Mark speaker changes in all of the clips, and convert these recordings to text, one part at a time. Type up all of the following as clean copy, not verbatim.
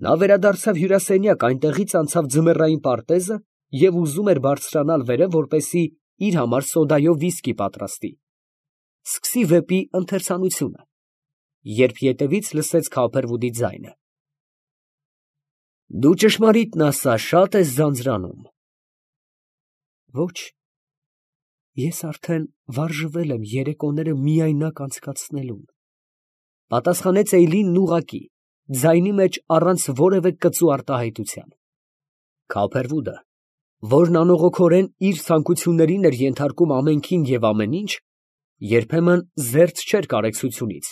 Speaker 1: Նա վերադարձավ հյուրասենյակ, այնտեղից անցավ ձմեռային պարտեզը և ուզում էր բարձրանալ վերև, որպեսզի իր համար սոդայով վիսկի պատրաստի, սկսի վեպի ընթերցանությունը, երբ ետևից լսեց Քափերվուդի ձայնը. «Դու ճշմարիտն ասա, շատ ես ձանձրանում»։ «Ոչ, ես արդեն վարժվել եմ երեկոները միայնակ անցկացնելուն», պատասխանեց Էյլինն ուղղակի, ձայնի մեջ առանց որևէ կծու արտահայտության։ Քափերվուդը, որն անողոքորեն իր ցանկություններին էր ենթարկում ամենքին և ամեն ինչ, երբեմն զերծ չէր կարեկցությունից,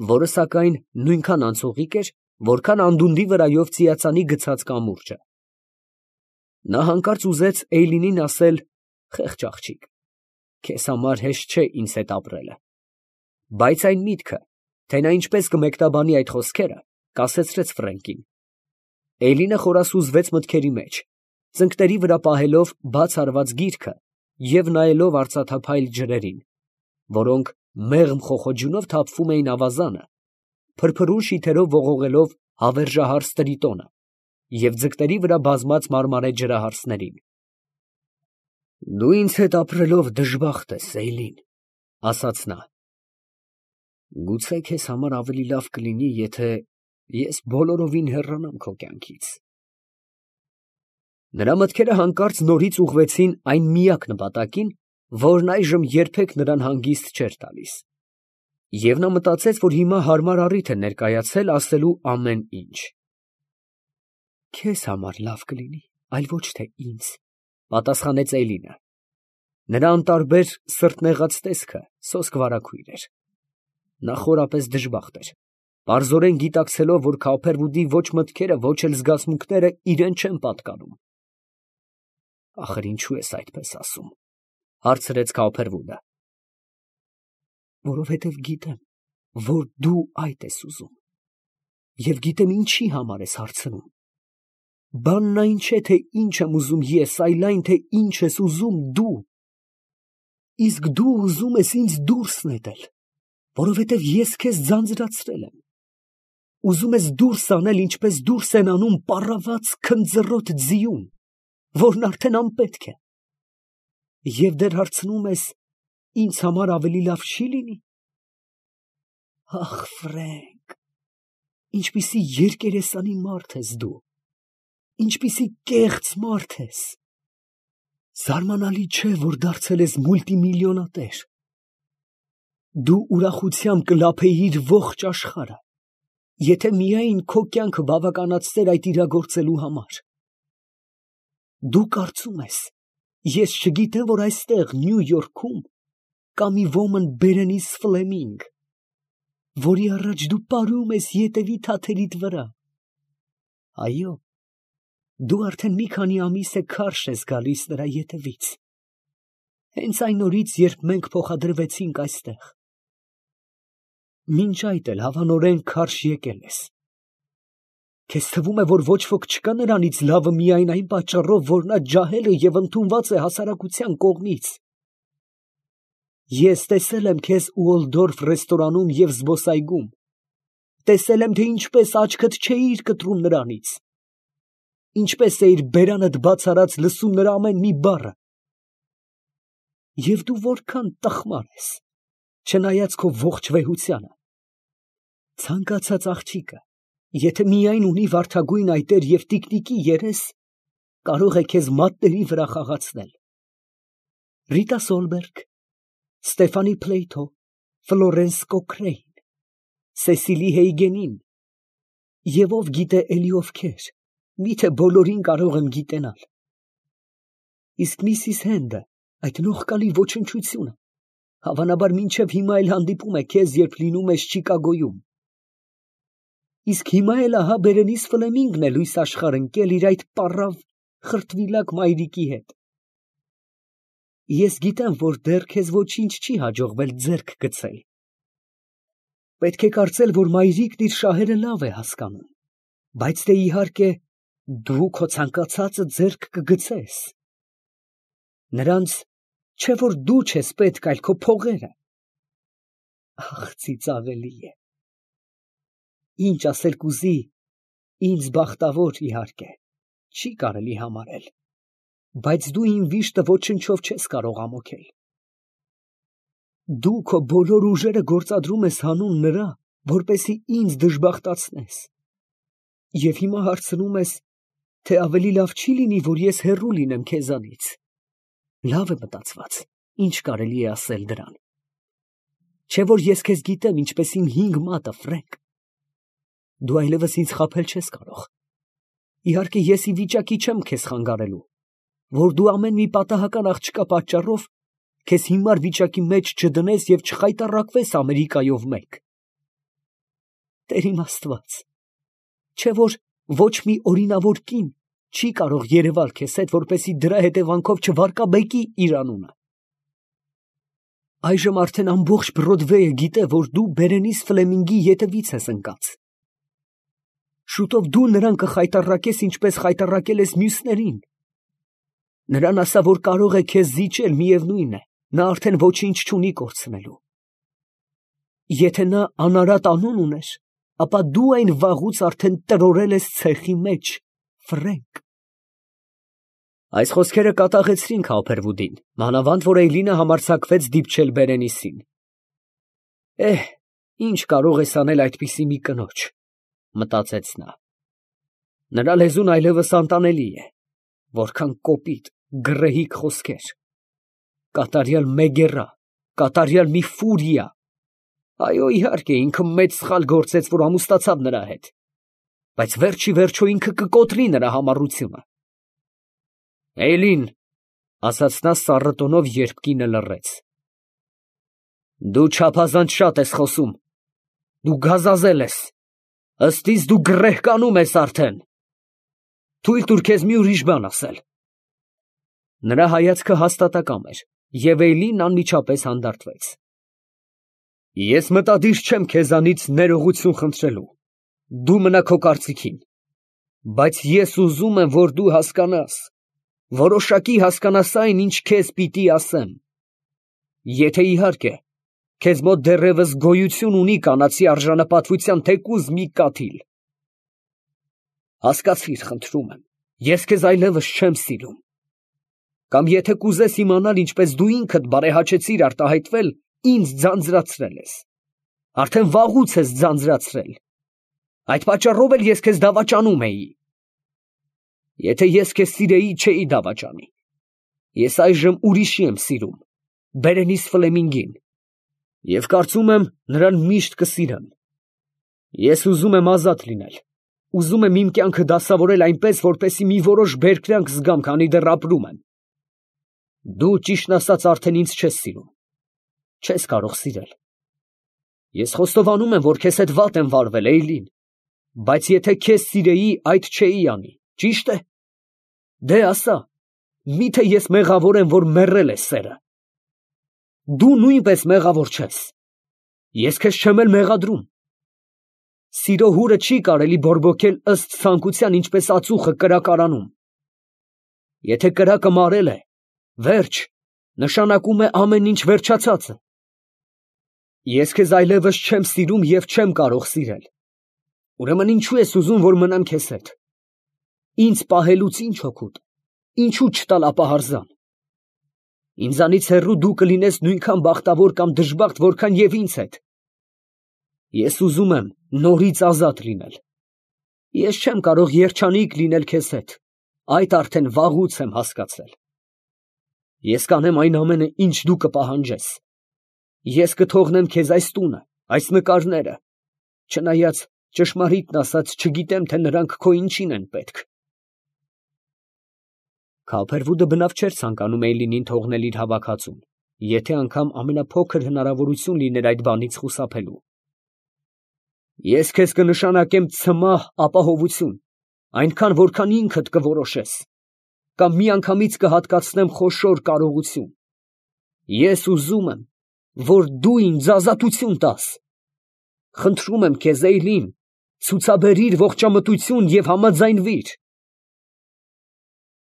Speaker 1: որը սակայն նույնքան անցողիկ էր, որքան անդունդի վրայով ծիածանի գցած կամուրջը։ Նա հանկարծ ուզեց Էյլինին ասել. «Խեղճ աղջիկ, քեզ համար հեշտ չէ ինձ հետ ապրելը», բայց այն միտքը, թե նա ինչպես կմեկնաբանի այդ խոսքերը, կասեցրեց Ֆրենկին։ Էյլինը խորասուզվեց մտքերի մեջ, ծնկների վրա պահելով բաց արված գիրքը և նայելով արծաթափայլ ջրերին, որոնք մեղմ խոխոջունով թափվում էին ավազանը, փրփրուն շիթերով ողողելով հավերժահարս տրիտոնը և ձկների վրա բազմած մարմարե ջրահարսներին։ «Դու ինձ հետ ապրելով դժբախտ ես, Էյլին», ֊ ասաց նա։ «Գուցե քեզ համար ավելի լավ կլինի, եթե ես բոլորովին հեռանամ քո կյանքից»։ Նրա մտքերը հանկարծ նորից ուղղվեցին այն միակ նպատակին, որն այժմ երբեք նրան հանգիստ չէր տալիս, և նա մտածեց, որ հիմա հարմար առիթ է ներկայացել ասելու ամեն ինչ։ «Քեզ համար լավ կլինի, այլ ոչ թե ինձ», ֊ պատասխանեց Էյլինը։ Նրա անտարբեր սրտնեղած տեսքը սոսկվարագույր էր։ Նա խորապես դժբախտ էր, պարզորեն գիտակցելով, որ Քափերվուդի ոչ մտքերը, ոչ էլ զգացմունքները իրան չեն պատկանում։ «Ախր ինչո՞ւ ես այդպես ասում», ֊ հարցրեց Քափերվուդը։ «Որովհետև գիտեմ, որ դու այդ ես ուզում, և գիտեմ ինչի համար ես հարցնում։ Բանն այն չէ, թե ինչ եմ ուզում ես, այլ այն, թե ինչ ես ուզում դու։ Իսկ դու ուզում ես ինձ դուրս նետել, որովհետև ես քեզ ձանձրացրել եմ։ Ուզում ես դուրս անել, ինչպես դուրս են անում պառաված քնձռոտ ձիուն, որն արդեն անպետք է։ Եվ դեռ հարցնում ես, ինձ համար ավելի լավ չի լինի։ Ախ, Ֆրենկ, ինչպիսի երկերեսանի մարդ ես դու, ինչպիսի կեղծ մարդ ես։ Զարմանալի չէ, որ դարձել ես մուլտիմիլիոնատեր։ Դու ուրախությամբ կլափեիր ողջ աշխարհը, եթե միայն քո կյանքը բավականացներ այդ իրագործելու համար։ Դու կարծում ես, ես չգիտեմ, որ այստեղ Նյու Յորքում կա մի ոմն Բերենիս Ֆլեմինգ, որի առաջ դու պարում ես ետևի թաթերիդ վրա։ Այո, դու արդեն մի քանի ամիս է քարշ ես գալիս նրա ետևից, հենց այն օրից, երբ մենք փոխադրվեցինք այստեղ։ Մինչ այդ էլ հավանորեն քարշ եկել ես։ Քեզ թվում է, որ ոչ ոք չկա նրանից լավը միայն այն պատճառով, որ նա ջահել է և ընդունված է հասարակության կողմից։ Ես տեսել եմ քեզ Ուոլդորֆ ռեստորանում և զբոսայգում, տեսել եմ, թե ինչպես աչքդ չէիր կտրում նրանից, ինչպես էիր բերանդ բաց արած լսում նրա ամեն մի բառը։ Եվ դու որքան տխմար ես, չնայած քո ողջ վեհությանը։ Ցանկացած աղջիկը, եթե միայն ունի վարդագույն այտեր և տիկնիկի երես, կարող է քեզ մատների վրա խաղացնել։ Ռիտա Սոլբերգ, Ստեֆանի Փլեյթո, Ֆլորենս Կոքրեյն, Սեսիլի Հեյգենին, և ով գիտե էլի ովքեր, միթե բոլորին կարող եմ գիտենալ։ Իսկ Միսիս Հենդը, այդ նողկալի ոչնչությունը, հավանաբար մինչև հիմա էլ հանդիպում է քեզ, երբ լինում ես Չիկագոյում։ Իսկ հիմա էլ ահա Բերենիս Ֆլեմինգն է լույս աշխարհ ընկել իր այդ պառավ խրտվիլակ մայրիկի հետ։ Ես գիտեմ, որ դեռ քեզ ոչինչ չի հաջողվել ձեռք գցել։ Պետք է կարծել, որ մայրիկն իր շահերը լավ է հասկանում, բայց դե իհարկե դու քո ցանկացածը ձեռք կգցես։ Նրանց չէ որ դու չես պետք, այլ քո փողերը։ Ախ, ծիծաղելի է։ Ինչ ասել կուզի, Ինձ բախտավոր իհարկե, չի կարելի համարել, բայց դու իմ վիշտը ոչնչով չես կարող ամոթել։ Դու քո բոլոր ուժերը գործադրում ես հանուն նրա, որպեսզի ինձ դժբախտացնես, և հիմա հարցնում ես, թե ավելի լավ չի լինի, որ ես հեռու լինեմ քեզանից։ Լավ է մտածված, ինչ կարելի է ասել դրան։ Չէ՞ որ ես քեզ գիտեմ ինչպես իմ 5 մատը, Ֆրենկ։ Դու այլևս ինձ խաբել չես կարող։ Իհարկե ես ի վիճակի չեմ քեզ խանգարելու, որ դու ամեն մի պատահական աղջկա պատճառով քեզ հիմար վիճակի մեջ չդնես և չխայտառակվես Ամերիկայով մեկ։ Տեր իմ Աստված, չէ՞ որ ոչ մի օրինավոր կին չի կարող երևալ քեզ հետ, որպեսզի դրա հետևանքով չվարկաբեկի իր անունը։ Այժմ արդեն ամբողջ Բրոդվեյը գիտե, որ դու Բերենիս Ֆլեմինգի ետևից ես ընկած։ Շուտով դու նրան կխայտառակես, ինչպես խայտառակել ես մյուսներին։ Նրան ասա, որ կարող է քեզ զիջել, միևնույն է, նա արդեն ոչինչ չունի կորցնելու։ Եթե նա անարատ անուն ուներ, ապա դու այն վաղուց արդեն տրորել ես ցեխի մեջ, Ֆրենկ։ Այս խոսքերը կատաղեցրին Քոփերվուդին, մանավանդ որ Էյլինը համարձակվեց դիպչել Բերենիսին։ Ինչ կարող ես անել այդպիսի մի կնոջ, մտածեց նա։ Նրա լեզուն այլևս անտանելի է, որքան կոպիտ, գռեհիկ խոսքեր, կատարյալ մեգեռա, կատարյալ մի ֆուրիա։ Այո, իհարկե, ինքը մեծ սխալ գործեց, որ ամուսնացավ նրա հետ, բայց վերջ ի վերջո ինքը կկոտրի նրա համառությունը։ Էյլին, ասաց նա սառը տոնով, երբ կինը լռեց, դու չափազանց շատ ես խոսում, դու գազազել ես, ըստ իս դու գռեհկանում ես արդեն։ Թույլ տուր քեզ մի ուրիշ բան ասել։ Նրա հայացքը հաստատակամ էր, և Էյլինն անմիջապես հանդարտվեց։ Ես մտադիր չեմ քեզանից ներողություն խնդրելու, դու մնա քո կարծիքին, բայց ես ուզում եմ, որ դու հասկանաս, որոշակի հասկանաս այն, ինչ քեզ պիտի ասեմ։ Եթե իհարկե, քեզ մոտ դեռևս գոյություն ունի կանացի արժանապատվության թեկուզ մի կաթիլ։ Հասկացիր, խնդրում եմ, ես քեզ այլևս չեմ սիրում։ Կամ եթե կուզես իմանալ, ինչպես դու ինքդ բարեհաճեցիր արտահայտվել, ինձ ձանձրացրել ես։ Արդեն վաղուց ես ձանձրացրել։ Այդ պատճառով էլ ես քեզ դավաճանում էի։ Եթե ես քեզ սիրեի, չէի դավաճանի։ Ես այժմ ուրիշի եմ սիրում, Բերենիս Ֆլեմինգին, և կարծում եմ, նրան միշտ կսիրեմ։ Ես ուզում եմ ազատ լինել, ուզում եմ իմ կյանքը դասավորել այնպես, որպեսզի մի որոշ բերկրանք զգամ, քանի դեռ ապրում եմ։ Դու, ճիշտն ասած, արդեն ինձ չես սիրում, չես կարող սիրել։ Ես խոստովանում եմ, որ քեզ հետ վատ եմ վարվել, Էյլին, բայց եթե քեզ սիրեի, այդ չէի անի, ճի՞շտ է։ Դե ասա, միթե ես մեղավոր եմ, որ մեռել է սերը։ Դու նույնպես մեղավոր չես։ Ես քեզ չեմ էլ մեղադրում։ Սիրո հուրը չի կարելի բորբոքել ըստ ցանկության, ինչպես ածուխը կրակարանում։ Եթե կրակը մարել է, վերջ, նշանակում է ամեն ինչ վերջացած է։ Ես քեզ այլևս չեմ սիրում և չեմ կարող սիրել։ Ուրեմն ինչու ես ուզում, որ մնամ քեզ հետ։ Ինձ պահելուց ինչ օգուտ, ինչու չտալ ապահարզան։ Ինձանից հեռու դու կլինես նույնքան բախտավոր կամ դժբախտ, որքան և ինձ հետ։ Ես ուզում եմ նորից ազատ լինել։ Ես չեմ կարող երջանիկ լինել քեզ հետ, այդ արդեն վաղուց եմ հասկացել։ Ես կանեմ այն ամենը, ինչ դու կպահանջես։ Ես կթողնեմ քեզ այս տունը, այս նկարները, չնայած ճշմարիտն ասած չգիտեմ, թե նրանք քո ինչին են պետք։ Քոփերվուդը բնավ չէր ցանկանում Էյլինին թողնել իր հավաքածուն, եթե անգամ ամենափոքր հնարավորություն լիներ այդ բանից խուսափելու։ Ես քեզ կնշանակեմ ցմահ ապահովություն, այնքան, որքան ինքդ կորոշես, կամ միանգամից կհատկացնեմ խոշոր կարողություն։ Ես ուզում եմ, որ դու ինձ ազատություն տաս։ Խնդրում եմ քեզ, Էյլին, ցուցաբերիր ողջամտություն և համաձայնվիր։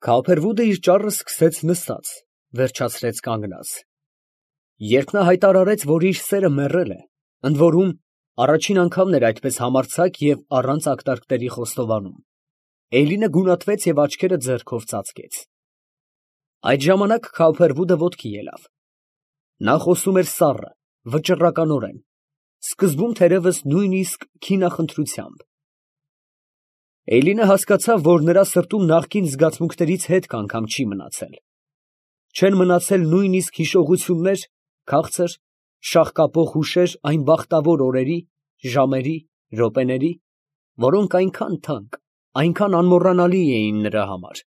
Speaker 1: Քոփերվուդը իր ճառը սկսեց նստած, վերջացրեց կանգնած։ Երբ նա հայտարարեց, որ իր սերը մեռել է, ընդ որում Առաջին անգամն էր այդպես համարձակ և առանց ակնարկների խոստովանում։ Էյլինը գունատվեց և աչքերը ձեռքով ծածկեց։ Այդ ժամանակ Քավբերվուդը ոտքի ելավ։ Նա խոսում էր սառը, վճռականորեն, սկզբում թերևս նույնիսկ քինախնդրությամբ։ Էյլինը հասկացավ, որ նրա սրտում նախկին զգացմունքներից հետք անգամ չի մնացել։ Չեն մնացել նույնիսկ հիշողություններ, քաղցր, շաղկապող հուշեր այն բախտավոր օրերի, ժամերի, րոպեների, որոնք այնքան թանկ, այնքան անմոռանալի էին նրա համար։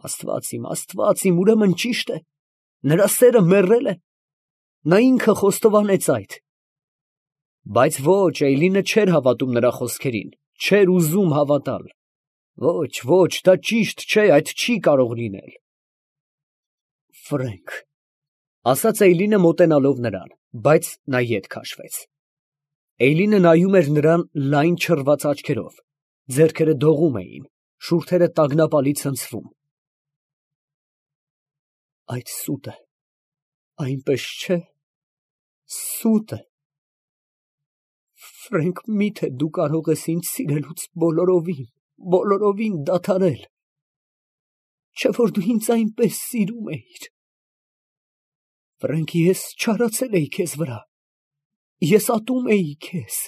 Speaker 1: Աստված իմ, ուրեմն ճիշտ է, նրա սերը մեռել է, նա ինքը խոստովանեց այդ։ Բայց ոչ, Էյլինը չէր հավատում նրա խոսքերին, չէր ուզում հավատալ։ Ոչ, դա ճիշտ չէ, այդ չի կարող լինել։ Ֆրենք, ասաց Էյլինը մոտենալով նրան, բայց նա ետ քաշվեց։ Էյլինը նայում էր նրան լայն չռված աչքերով, ձեռքերը դողում էին, շուրթերը տագնապալի ցնցվում։ Այդ սուտ է, այնպես չէ, սուտ է։ Ֆրենք, միթե դու կարող ես ինձ սիրելուց բոլորովին դադարել, չէ՞ որ դու ինձ այնպես սիրում էիր։ Ֆրենք, ես չարացել էի քեզ վրա, ես ատում էի քեզ։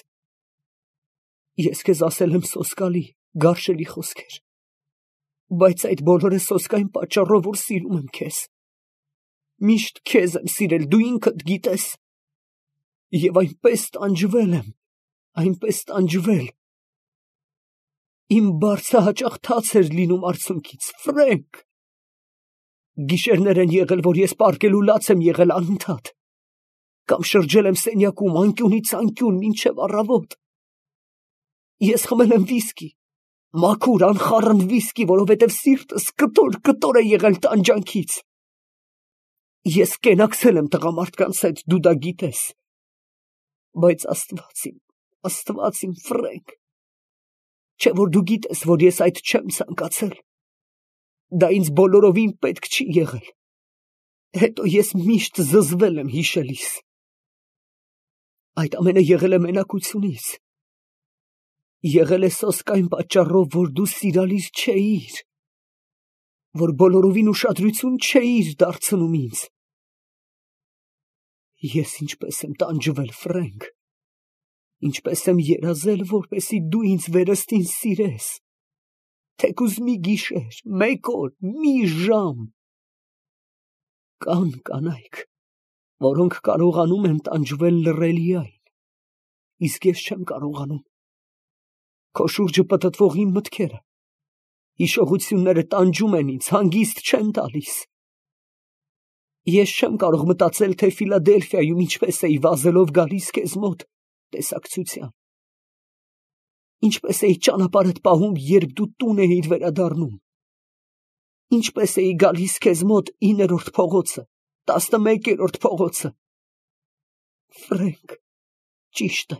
Speaker 1: Ես քեզ ասել եմ սոսկալի, գարշելի խոսքեր, բայց այդ բոլորը սոսկ այն պատճառով, որ սիրում եմ քեզ։ Միշտ քեզ եմ սիրել, դու ինքդ գիտես, և այնպես տանջվել։ Իմ բարձը հաճախ թաց էր լինում արցունքից, Ֆրենք։ Գիշերներ են եղել, որ ես պառկելու լաց եմ եղել անընդհատ, կամ շրջել եմ սենյակում անկյունից անկյուն մինչև առավոտ։ Ես խմել եմ վիսկի, մաքուր, անխառն վիսկի, որովհետև սիրտս կտոր է եղել տանջանքից։ Ես կենակցել եմ տղամարդկանց հետ, դու դա գիտես, բայց Աստված իմ, Ֆրենք, չէ՞ որ դու գիտես, որ ես այդ չեմ ցանկացել, դա ինձ բոլորովին պետք չի եղել, հետո ես միշտ զզվել եմ հիշելիս։ Այդ ամենը եղել է մենակությունից, եղել է սոսկ այն պատճառով, որ դու սիրալիր չէիր, որ բոլորովին ուշադրություն չէիր դարձնում ինձ։ Ես ինչպես եմ տանջվել, Ֆրենք, ինչպես եմ երազել, որպեսզի դու ինձ վերստին սիրես, թեկուզ մի գիշեր, մեկ օր, մի ժամ։ Կան կանայք, որոնք կարողանում են տանջվել լռելիայն, իսկ ես չեմ կարողանում։ Քո շուրջը պտտվող իմ մտքերը, հիշողությունները տանջում են ինձ, հանգիստ չեն տալիս։ Ես չեմ կարող մտածել, թե Ֆիլադելֆիայում ինչպես էի վազելով գալիս քեզ մոտ տեսակցության, ինչպես էի ճանապարհդ պահում, երբ դու տուն էիր վերադառնում, ինչպես էի գալիս քեզ մոտ 9-րդ փողոցը, 11-րդ փողոցը։ Ֆրենք, ճիշտ է,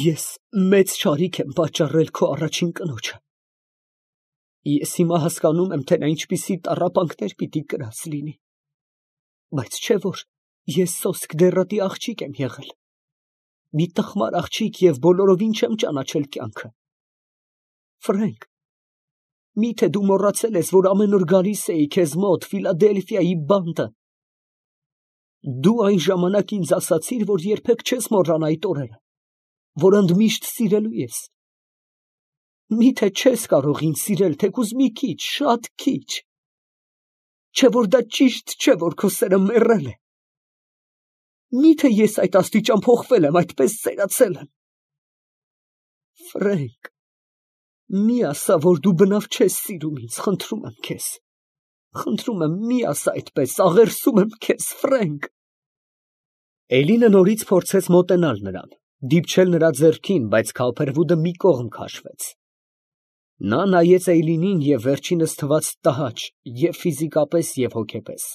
Speaker 1: ես մեծ չարիք եմ պատճառել քո առաջին կնոջը։ Ես հիմա հասկանում եմ, թե նա ինչպիսի տառապանքներ պիտի կրած լինի, բայց չէ՞ որ ես սոսկ դեռատի աղջիկ եմ եղել, մի տխմար աղջիկ և բոլորովին չեմ ճանաչել կյանքը։ Ֆրենք, միթե դու մոռացել ես, որ ամեն օր գալիս էի քեզ մոտ Ֆիլադելֆիայի բանտը։ Դու այն ժամանակ ինձ ասացիր, որ երբեք չես մոռանա այդ օրերը, որ ընդմիշտ սիրելու ես։ Միթե չես կարող ինձ սիրել, թեկուզ մի քիչ, շատ քիչ։ Չէ՞ որ դա ճիշտ չէ, որ քո սերը մեռել է։ Միթե ես այդ աստիճան փոխվել եմ, այդպես սերացել եմ։ Ֆրենք, մի ասա, որ դու բնավ չես սիրում ինձ, խնդրում եմ քեզ։ Խնդրում եմ, մի ասա այդպես, աղերսում եմ քեզ, Ֆրենք։ Էյլինը նորից փորձեց մոտենալ նրան, դիպչել նրա ձեռքին, բայց Քավբերվուդը մի կողմ քաշվեց։ Նա նայեց Էյլինին և վերջինս թվաց տհաճ և՛ ֆիզիկապես և հոգեպես։